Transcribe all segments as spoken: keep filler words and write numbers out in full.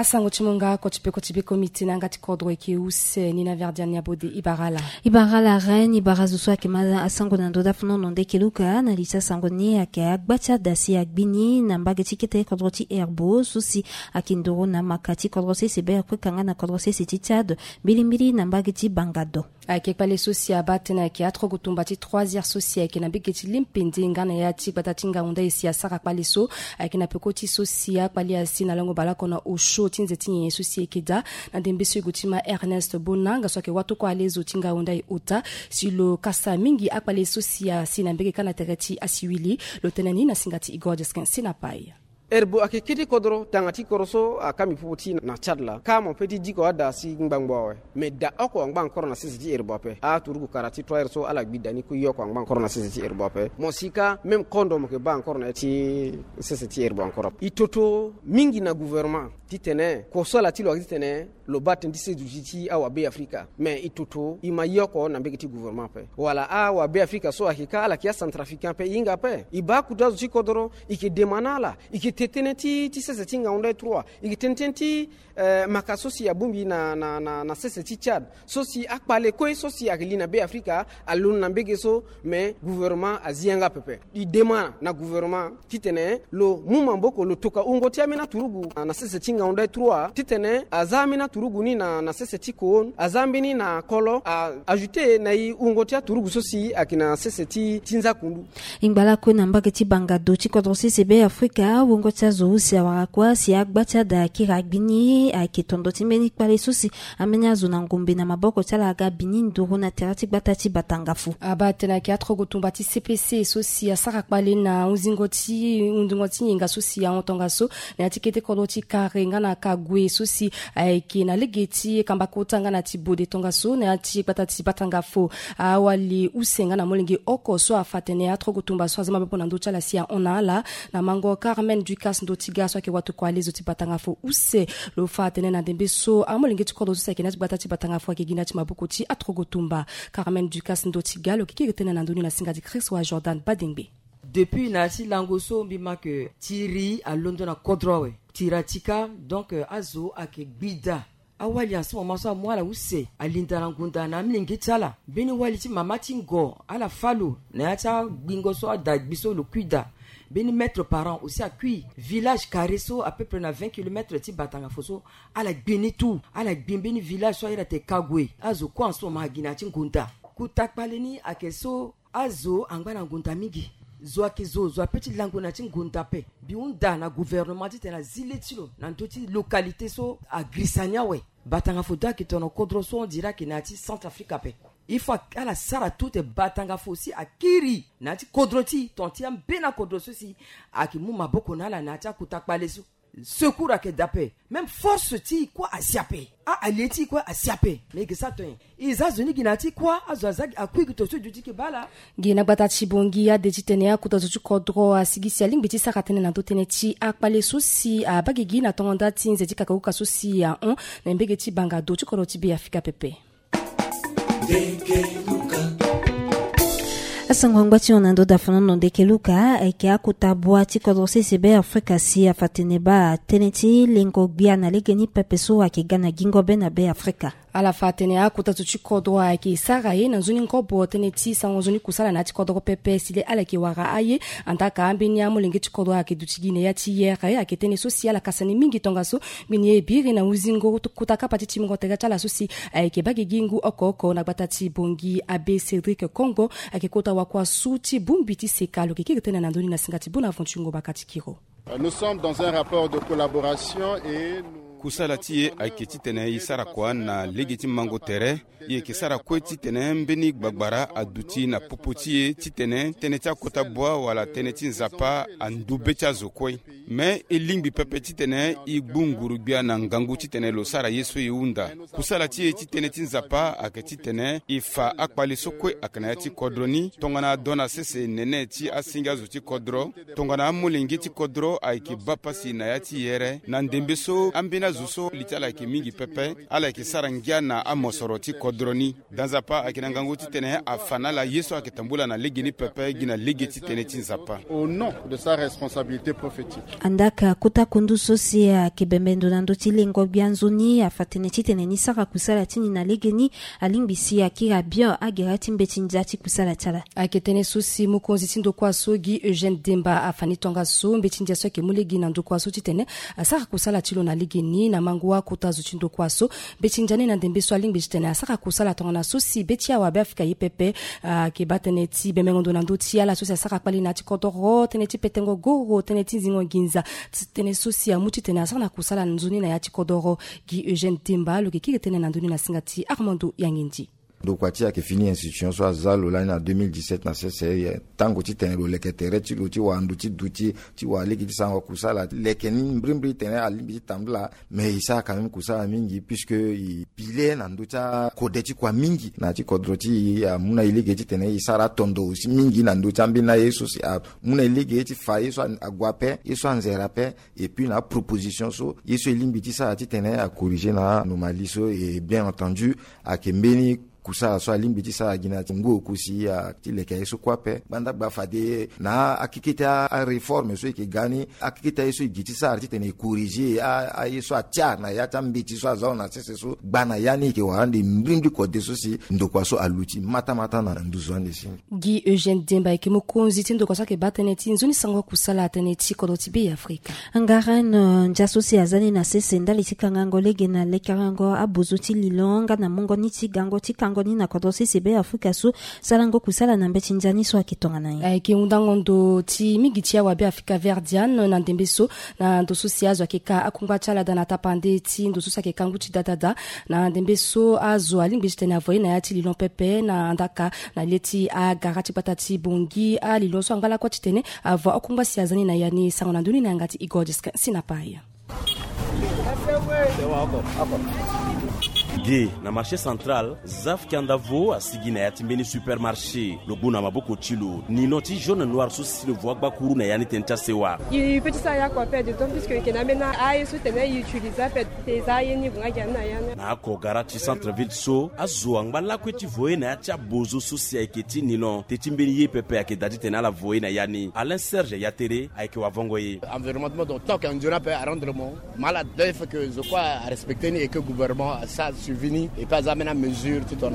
Sango ti mo nga koti peko ti beko miti na yanga ti kodro eke use ni na verdian ni abode ibara ala. Ibara ala ren ibara zo so ayeke ma asango na ndö dafo nono nde eke luka na li ti asango ni ayeke agba ti ada si agbi ni na mbage ti kete kodro ti herbo so si ayeke nduru na maka ti kodro sese be afrika nga na kodro sese ti tchad. Mbilimbili na mbage ti bangado. Ayeke kpale so si abaa tënë ayeke atrogo tumba ti troisière so si ayeke na mbege ti limpende nga na ya ti gbata ti ngaunda e si asara kpale so. Ayeke na peko ti so si akpale asi na lango baleoko na osio ti nze ti nyenye so si eke daa. Na ndembe so e gue ti ma ernest bonanga so ayeke watokua alezo ti ngaunda e ota si lo kasa mingi akpale so si asi na mbege kâ na tere ti asiwili. Lo tene ni na singa ti igor jeskin sinapai. Herbo ayeke kete kodro tanga ti kodro so akami popo ti na tchad laa kâ mo pe ti diko ada si ngbangbo awe. Me da oko angba ankoro na sese ti herbo ape aturugu kara ti trois heures so ala gbi da ni kue ye oko angba ankoro na sese ti herbo ape mo si kâ même kondo mo yeke baa ankoro na ya ti sese ti herbo ankoro ape. E toto mingi na gouvernement titene kosala ti lo ayeke titene lo baa tënë ti seduti ti awabe afrika. Me e toto e ma ye oko na mbege ti gouvernement ape wala awabe afrika so ayeke kâ ala yeke acentrafricain ape e hinga ape. E baa akuta azo ti kodro e yeke dema na ala. E yeke te tënë ti ti sese ti ngaunda e trois. E yeke tene tënë ti maka so si abongbi na na na sese ti tchad so si akpale kue so si ayeke li na be afrika. Alondo na mbege so me gouvernement azi yanga pepe. E dema na gouvernement titene lo mu maboko lo toka wungo ti ambeni aturugu na sese ti ngaunda e trois titene aza ambeni aturugu ni na na sese ti koon aza ambeni na kolo a ajouter na e wungo ti aturugu so si ayeke na sese ti ti nza kundu. E ngba lakue na mbage ti bangado ti kodro sese be afrika wungo ti azo use awara kua si agba ti ada akiri agbi ni ayeke tondo ti mbeni kpale so si ambeni azo na ngombe na maboko ti ala aga bi ni nduru na tere ti gbata ti batangafo. Abaa tënë ayeke atrogo tumba ti cpc so si asara kpale na hunzingo ti hunzingo ti nyenga so si ahon tongaso na ya ti kete kodro ti kare nga na kague so si ayeke na lege ti kamba kota nga na ti bode tongaso na ya ti gbata ti batangafo. Awali use nga na molenge oko so afa tene atrogo tumba so aza maboko na ndö ti ala si ahon na ala na mango carmen ducas ndo ti ga so ayeke watokua alezo ti batangafo use. Lo fa atene na ndembe so amolenge ti kodro so si ayeke na ya ti gbata ti batangafo ayeke gi na ya ti maboko ti atrogo tumba. Carmen ducas ndo ti ga lo yeke kiri tënë na ndö ni na singa ti christ wa jordan badengbe. Depuis na ya ti lango so mbi ma ke tiri alondo na kodro awe. Tiri atika donc azo ayeke gbi daa. Awali en ce moment so amu ala use alinda na ngunda na amilenge ti ala. Mbeni wali ti mama ti ngo ala fâ lo na ya ti agbingo so ada gbi so lo kui daa. Mbeni maître parent aussi akui village carré so à peu près na vingt kilomètres ti batangafo so. Ala gbi ni tout ala gbi mbeni village so ahiri atene kague azo kue en ce moment agi na ya ti ngunda. Kota kpale ni ayeke so azo angba na ngunda mingi. Zo ayeke zo zo ape ti lango na ya ti ngunda ape. Mbi hunda na gouvernement titene azi le ti lo na ndö ti localité so agrisa ni awe. Batanga fo do ayeke tono kodro so on dirait ayeke na ya ti centre afrique ape. Il faut ala sara tout te batanga fo si akiri na ya ti kodro ti ton ti ambeni akodro so si ayeke mu maboko na ala na ya ti akota kpale so. Secours ayeke daa ape. Même force ti e kue asi ape. Aalie ti e kue asi ape. Mais e ke sara to nyen? E za zo ni gi na ya ti kua azo aza gi akui gi to so e duti ke baa ala. Gi na gbata ti bongi ade titene akota zo ti kodro asigi si alingbi ti sara tënë na ndö tënë ti akpale so si abaa gigi na tongo nda ti nze ti kakakuka so si ahon na mbege ti banga do ti kodro ti be afrika pepe. Asango angba ti hon na ndo dafo nono ndeke luka ayeke akota bua ti kodro sese be afrika si afa tene baa tënë ti lengo gbia na legeni pepe so ayeke ga na gingo be na be afrika. Ala fa atene akota zo ti kodro ayeke sara ye na nzoni ngobo tënë ti sango nzoni kusala na ya ti kodro pepe si le ala yeke wara aye. Andaka ambeni amolenge ti kodro ayeke duti gi na ya ti yere ayeke tënë so si ala kasa ni mingi tongaso. Mbeni e biri na huzingo kota kapa ti timbingo tere ti ala so si ayeke baa gigi ngu oko oko na gbata ti bongi abe cédric kongo. Ayeke kota wakua su ti bongbi ti seka lo yeke kiri tënë na ndö ni na singa ti bonaventure ngobaka ti kiro. Nous sommes dans un rapport de collaboration et kusala ti e ayeke titene e sara kua na lege ti mango tere. E yeke sara kue titene mbeni gbagbara aduti na popo ti e titene tënë ti akota bua wala tënë ti nzapa andu be ti azo kue. Me e lingbi pepe titene e gbu nguru gbia na ngangu titene lo sara ye so e hunda. Kusala ti e ti tënë ti nzapa ayeke titene e fa akpale so kue ayeke na ya ti kodro ni tongana ado na sese nene ti asinga zo ti kodro. Tongana amolenge ti kodro ayeke baa pasi na ya ti yere na ndembe so ambeni Zo so li ti ala ayeke mingi pepe, ala yeke sara ngia na amosoro ti kodro ni. Da Nzapa ayeke na ngangu titene afa na ala ye so ayeke tambula na legeni pepe gi na lege ti tënë ti Nzapa. Au nom de sa responsabilité prophétique. Andaa ka kota kundu so si ayeke bembe ndo na ndö ti lengo gbia nzoni afa tënë titene ni sara kusala ti ni na legeni. Alingbi si akiri bien agere ti mbeti ndia ti kusala ti ala. Ayeke tënë so si mokonzi ti ndokua so Guy Eugène Demba afa ni tongaso. Mbeti ndia so ayeke mu lege na ndokua so titene asara kusala ti lo na legeni na mangu akota zo ti ndokua so. Mbeti ndia ni na ndembe so alingbi titene asara kusala tongana so si be ti awabe Afrika ye pepe. Ayeke baa tënë ti bembengo ndo na ndö ti ala so si asara kpali na ya ti kodoro, tënë ti petengo goro, tënë ti nzingo nginza. Ti tënë so si amu titene asara na kusala nzoni na ya ti kodoro. Guy Eugène Demba lo yeke kiri tënë na ndö ni na singa ti Armando Yangindi. Ndokua ti e ayeke fini institution so aza lo lani na deux mille dix-sept na sese. Tango titene lo leke tere ti lo ti wara ndo ti duti ti wara lege ti sarango kusala leke ni mbrimbri titene alingbi ti tambula. Mais e sara quand même kusala mingi puisque e pile na ndö ti akode ti kua mingi na ya ti kodro ti e. Amu na e lege titene e sara atondo aussi mingi na ndö ti ambeni aye so si amu na e lege ti fa ye so ague ape, ye so anzere ape. Et puis na aproposition so ye so e lingbi ti sara titene acorriger na anomalie so. Et bien entendu ayeke mbeni kusala so alingbi ti sara gi na ti ngu oko si a ti leke aye so kue ape. Gbanda gba fade na akeke ti aréforme so e yeke ga ni, akeke ti aye so e gi ti sara titene e corriger a- aye so atia na ya ti ambeti so aza lo na sese so. Gba na ya ni e yeke wara ande mbrimbri kode so si ndokua so aluti matamata na nduzu ande si. Guy Eugène Demba ayeke mokonzi ti ndokua so ayeke baa tënë ti nzoni sango kusala tënë ti kodro ti Be Afrika. Angaren, eh, ndia so si aza ni na sese ndali ti kangango lege na lekerengo abozo ti lilo nga na mungo ni ti gango ti kango ni na kodro sese Be Afrika so sarango kusala na mbeti ndia ni so ayeke tongana nyen? Ayeke hundango ndo ti mingi ti awabe Afrika Verdian na ndembe so na ndo so si azo ayeke ka akungba ti ala daa na tapande ti ndo so si ayeke ka ngu ti dadada. Na ndembe so azo alingbi titene avoye na ya ti lilo pepe na andaka na le ti agara ti gbata ti Bongi. Alilo so angba lakue titene avo akungba si aza ni na ya ni. Sango na ndö ni na yanga ti Igor Diskin Sinapai. Ge na marché central, Zaf Kiandavo asigi na ya ti mbeni supermarché. Lo gbu na maboko ti lo nilon ti jaune noir so si lo vo agbakuru na ya ni tënë ti asewa. E peut ti sara ya kua ape, d'autant plus que e yeke na ambeni aye so tene e utiliser ape. Te e za aye ni e gue nga gi na ya ni. Na oko gara ti centre ville so azo angba lakue ti voye na ya ti abozo so si ayeke ti nilon. Teti mbeni ye pepe ayeke daa titene ala voye na ya ni. Alain Serge ya tere ayeke wavongo ye. Environnement donc tant qu'un durable à rendre mon mal à deux, il faut que je crois à respecter ni et que gouvernement a ça suivi ni et pas amener mesure tout en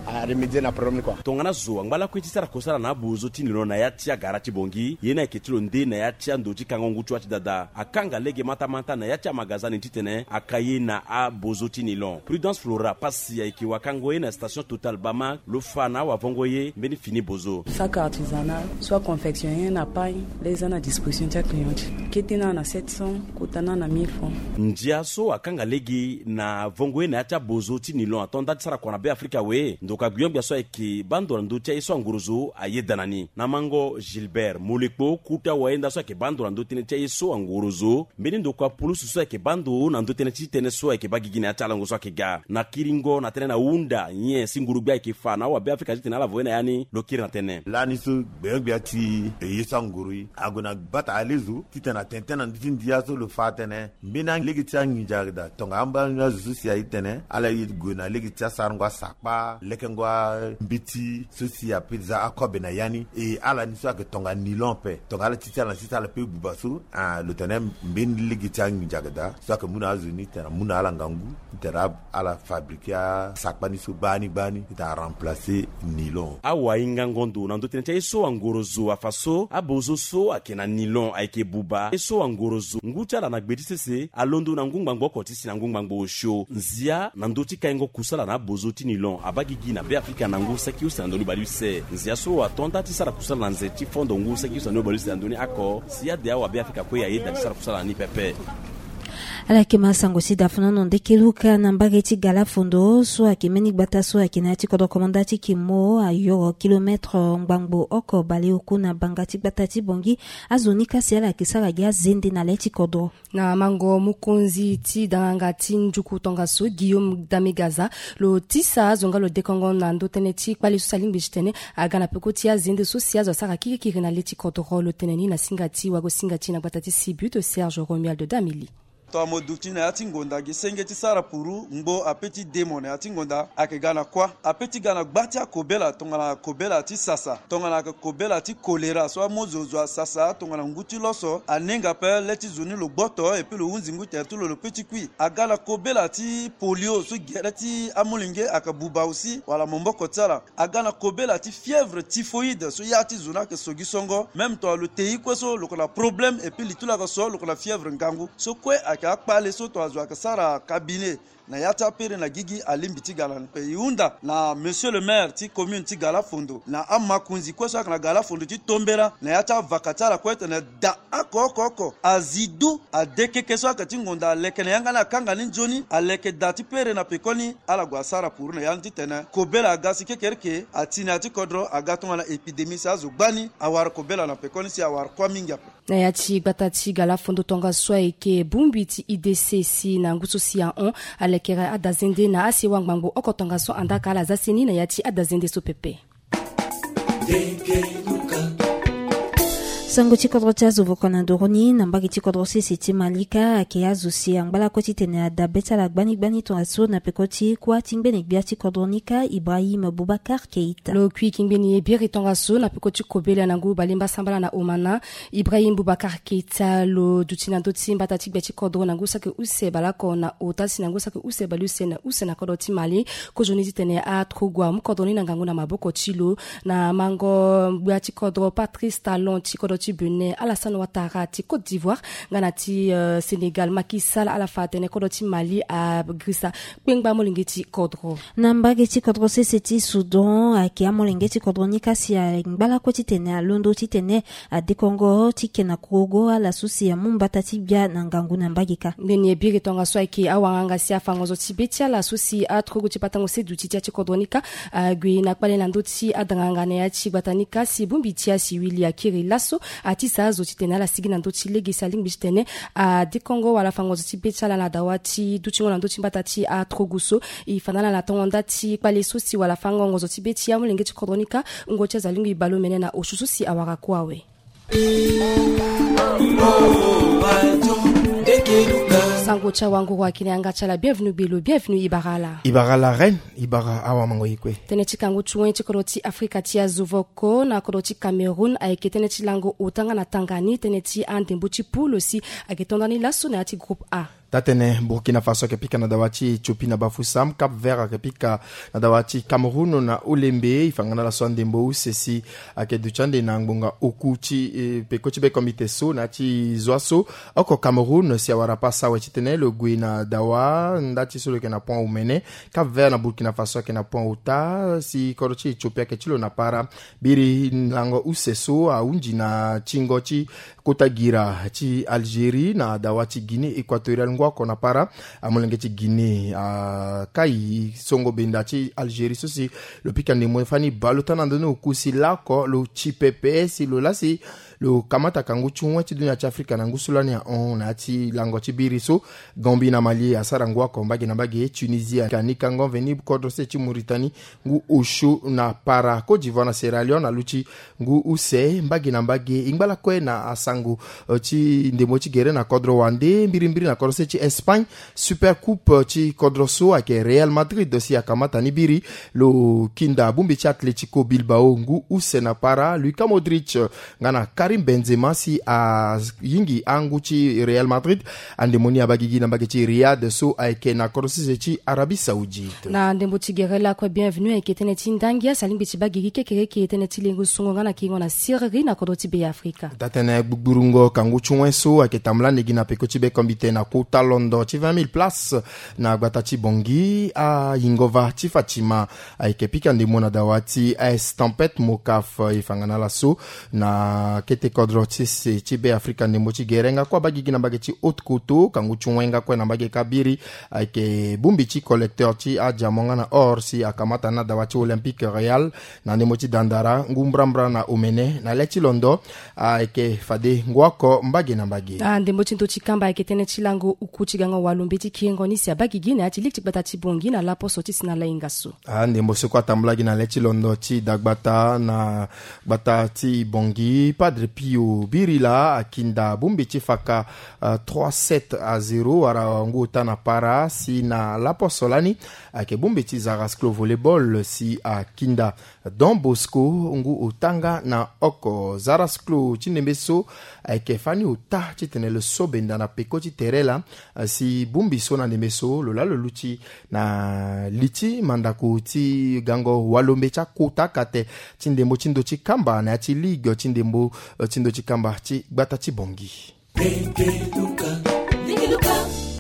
à remédier na problème quoi. Tongana zo angba lakue ti sara kosala na abozo ti nilon na ya ti agara ti Bongi, ye ni ayeke ti lo nde na ya ti ando ti kango ngu ti wa ti dada. Akanga lege matamata na ya ti amagazani titene aka ye na abozo ti nilon. Prudence Flora pasi ayeke wakango ye na station Total Bama. Lo fa na awavongo ye mbeni fini bozo. Sac artisanal, soit confectionné na pagne, les en à disposition ti aclient ti. Kete na na sept cents, kota na na mille francs. Ndia so akanga lege na vongo ye na ya ti abozo ti nilon ato nda ti sara kua na Be Afrika awe. Ndokua agbio-gbia so ayeke baa ndo na ndö ti aye so angorozo ayeda na ni. Na mango Gilbert Molekpo, kuta wayenda so ayeke baa ndo na ndö tënë ti aye so angorozo. Mbeni ndokua pulusu so ayeke baa ndo na ndö tënë ti tënë so ayeke baa gigi na ya ti alango so ayeke ga. Na kiringo na tënë na hunda nyen si nguru-gbia ayeke fa na awabe Afrika titene ala voye na ya ni, lo kiri na tënë. Lani so gbio-gbia ti e ye so angoro ye ague na gbata alezo titene atene tënë na ndö ti ndia so lo fa atene mbeni alege ti anginza ayeke daa tongana ambeni azo so si aye titene ala ye gue na lege ti asarango asakpa, lekengo ambeti so si ape za akobe na ya ni. E ala ni so ayeke tongana nilon ape tongana ala ti ti ala na ti ti ala pe buba so. Ah, lo tene mbeni lege ti anginza ayeke daa so ayeke mu na azo ni titene amu na ala ngangu titene ala fabriquer asakpa ni so gbani gbani titene aremplacer nilon. Awahingango ndo na ndö tënë ti aye so angorozo afa so abozo so ayeke na nilon ayeke buba ye so angorozo ngu ti ala na gbe ti sese alondo na ngu ngbangbo oko ti si na ngu ngbangbo osio. Nzia na ndö ti kaingo kusala na abozo ti nilon abaa gigi na Be Afrika na ngu saki use na ndoni bale use. Nzia so ato nda ti sara kusala na nze ti fondo ngu saki use na ndoni bale use na ndoni oko si ade awabe Afrika kue ayeda ti sara kusala na ni pepe. Ala yeke ma sango ti da fanono ndeke luka na mbage ti gala fondo so ayeke mbeni gbata so ayeke na ya ti kodro komanda ti kimo ayoro kilometre ngbangbo oko baleoku na banga ti gbata ti Bongi. Azo ni kasi ala yeke sara gi azende na le ti kodro. Na mango mokonzi ti danganga ti njuku tongaso Guillaume Damegaza lo tisa azo nga lo dekongo na ndö tënë ti kpale so si alingbi titene aga na peko ti azende so si azo asara kirikiri na le ti kodro. Lo tene ni na singa ti wago singa ti na gbata ti Sibut Serge Romuald Damili. Tongana mo duti na ya ti ngonda gi senge ti sara puru ngbo ape ti demo na ya ti ngonda ayeke ga na kuâ. Ape ti ga na gba ti akobela tongana kobela ti sasa tongana ayeke kobela ti kolera so amozo zo asasa tongana ngu ti loso anenga ape le ti zo ni lo gboto epui lo hunzi ngu tere ti lo lo pe ti kui. Aga na kobela ti polio so gere ti amolenge ayeke buba aussi wala momboko ti ala. Aga na kobela ti fièvre typhoïde so ya ti zo ni ayeke sogi songo même tongana lo tei kue so lo yeke na problème epui li ti lo ayeke so lo yeke na fièvre ngangu so kue ayeke akpale so tongana zo ayeke sara cabinet na ya ti apere na gigi alingbi ti ga na ni. E hunda na monsieur le maire ti commune ti Galafondo na amakonzi kue so ayeke na Galafondo ti tombela na ya ti avaka ti ala kue tene da oko oko oko azi du adekeke so ayeke ti ngonda aleke na yanga ni akanga ni nzoni aleke da ti pere na pekoni ala gue asara puru na ya ni titene kobela aga si kekereke ati na ya ti kodro aga tongana épidémie si azo gbani awara kobela na pekoni si awara kuâ mingi ape. Na ya ti gbata ti Galafondo tongaso ayeke bongbi ti I D C si na ngu so si ahon alekere adazende na asewa ngbangbo oko tongaso andaka ala za seni na ya ti adazende so pepe. Sango ti kodro ti azo voko na ndoro ni na mbage ti kodro sese ti Malika ayeke azo si angba lakue titene ada be ti ala gbani gbani tongaso na peko ti kuâ ti ngbene gbia ti kodro ni kâ Ibrahim Boubacar Keita. Lo kui ki ngbeni ye biri tongaso na peko ti kobela na ngu balemba sambala na Omana. Ibrahim Boubacar Keita lo duti na ndö ti mbata ti gbia ti kodro na ngu saki use baleoko na ota si na ngu saki use baleuse na use na kodro ti Mali. Kozoni titene atrogua amu kodro ni na ngangu na maboko ti lo na mango gbia ti kodro Patrice Talon ti kodro ti Benin, Alassane Ouattara ti Côte d'Ivoire nga na ti Sénégal Macky Sall ala fa atene kodro ti Mali agrisa kpengba molenge ti kodro. Na mbage ti kodro sese ti Soudan ayeke amolenge ti kodro ni kâ si angba lakue titene alondo titene adekongo ti ke na kurugo ala so si amu mbata ti gbia na ngangu na mbage kâ. Mbeni e biri tongaso ayeke awanganga si afa ngonzo ti be ti ala so si aturugu ti patango se duti ti ya ti kodro ni kâ ague na kpale na ndö ti adanganga na ya ti gbata ni kâ si bongbi ti asiwili akiri laso atisa azo titene ala sigi na ndö ti lege si alingbi titene adekongo wala afa ngonzo ti be ti ala na dawa ti dutingo na ndö ti mbata ti aturugu so. E fa na ala na tongo nda ti kpale so si wala fango ngonzo ti be ti amolenge ti kodro ni kâ wungo ti azo alingbi bale omene na osio so si awara kue awe. Sango ti awanguru ayeke na yanga ti ala bienvenu gbelo bienvenu ibara ala. Ibara ala reine. Ibara awamango ye kue. Tënë ti kangu ti wen ti kodro ti Afrika ti azo voko na kodro ti Cameroun ayeke tënë ti lango ota nga na tanga ni tënë ti andembo ti poule si ayeke to ndani laso na ya ti groupe A. Taa-tënë Burkina Faso ayeke pika na dawa ti Éthiopie na bafusam. Cap Vert ayeke pika na dawa ti Cameroun na olembe. E fa nga na ala so andembo use si ayeke duti ande na ngbonga oku ti peko ti bekombite so na ya ti zwa so oko Cameroun si awara pasa awe titene lo gue na dawa nda ti so lo yeke na point omene. Cap Vert na Burkina Faso ayeke na point ota si kodro ti Éthiopie ayeke ti lo na para. Biri lango use so ahunzi na tingo ti kota gira ti Algérie na dawa ti Guinée Équatoriale ngu oko na para. Amolenge ti Guinée akai songo benda ti Algérie so si lo pika ndembo fani baleota na ndö ni oku si laoko lo ti pepe si lo laa si lo kamata kangu ti wen ti dunia ti Afrika na ngu so lani ahon na ya ti lango ti biri so. Gambie na Mali asara ngu oko mbage na mbage. Tunisie ayeke ni kango veni kodro se ti Mauritanie ngu osio na para. Côte d'Ivoire na Sierra Leone aluti ngu use mbage na mbage. E ngba lakue na asango ti ndembo ti gere na kodro wande mbirimbiri na kodro se ti Espagne. Super coupe ti kodro so ayeke Real Madrid si akamata ni biri. Lo kinda bongbi ti Atletico Bilbao ngu use na para. Luka Modric nga na Karim Benzema si ayingi angu ti Real Madrid. Andembo ni abaa gigi na mbage ti Riyad so ayeke na kodro sese ti Arabie Saoudite. Na ndembo ti gere lakue bienvenu ayeke tënë ti ndangia si alingbi ti baa gigi kekereke tënë ti lengo songo nga na kiringo na siriri na kodro ti Be Afrika. Taa-tënë gbugburungo kangu ti wen so ayeke tambula ande gi na peko ti bekombite na kota londo ti vingt mille places na gbata ti Bangui. Ayingova ti Fatima ayeke pika ndembo na dawa ti AS Tempête Mokaf. E fa nga na ala so na kete kodro ti se ti Be Afrika ndembo ti gere nga kue abaa gigi na mbage ti Haute-Kotto kangu ti wen nga kue na mbage kabiri. Ayeke bongbi ti collecteur ti adiamant nga na or si akamata na dawa ti Olympique Real na ndembo ti dandara ngu mbrambra na omene. Na le ti londo ayeke fade ngu oko mbage na mbage. Ah, ndembo ti ndo ti kamba ayeke tënë ti lango uku ti gango walombe ti kiringo ni si abaa gigi na ya ti lege ti gbata ti Bangui na laposo ti si na lainga so. Ah, ndembo so kue atambula gi na le ti londo ti dagbata na gbata ti Bangui. Padre Pio Birila akinda bumbi ti faka uh, trois sept à zéro wala ngu ota na para si na laposo lani ayeke bumbi ti Zara Sclo volleyball si akinda Don Bosco ngu ota nga na oko. Zara Sclo ti ndembe so ayeke fani ota titene lo so benda na peko ti tere laa si bumbi so na ndembe so lo laa lo luti na li ti mandako ti gango walombe ti akota kate ti ndembo ti ndo ti kamba na ya ti ligue ti ndembo ti ndo ti kamba ti gbata ti Bongi.